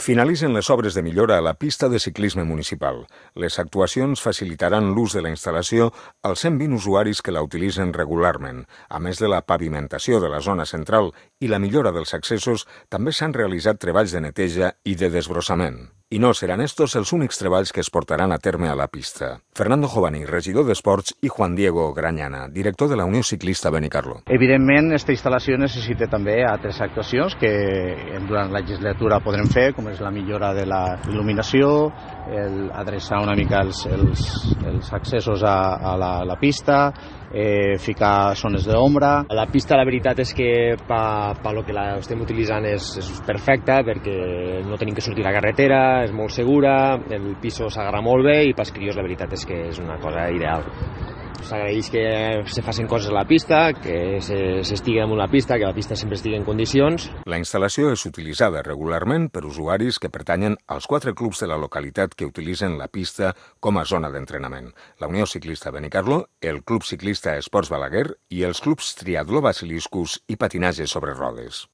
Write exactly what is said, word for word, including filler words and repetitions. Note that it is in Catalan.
Finalitzen les obres de millora a la pista de ciclisme municipal. Les actuacions facilitaran l'ús de la instal·lació als cent vint usuaris que la utilitzen regularment. A més de la pavimentació de la zona central i la millora dels accessos, també s'han realitzat treballs de neteja i de desbrossament. I no seran estos els únics treballs que es portaran a terme a la pista. Fernando Jovani, regidor d'Esports, i Juan Diego Grañana, director de la Unió Ciclista Benicarló. Evidentment, aquesta instal·lació necessita també altres actuacions que durant la legislatura podrem fer, com és la millora de la il·luminació, el adreçar una mica els, els, els accessos a, a, la, a la pista, eh, ficar zones d'ombra. La pista, la veritat és que per pa lo que la estem utilitzant és, és perfecta, perquè no tenim que sortir a la carretera, és molt segura, el piso s'agarra molt bé i pels crios la veritat és que és una cosa ideal. S'agraeix que se facin coses a la pista, que s'estigui damunt la pista, que la pista sempre estigui en condicions. La instal·lació és utilitzada regularment per usuaris que pertanyen als quatre clubs de la localitat que utilitzen la pista com a zona d'entrenament. La Unió Ciclista Benicarló, el Club Ciclista Esports Balaguer i els clubs Triatló Basiliscus i Patinatge sobre rodes.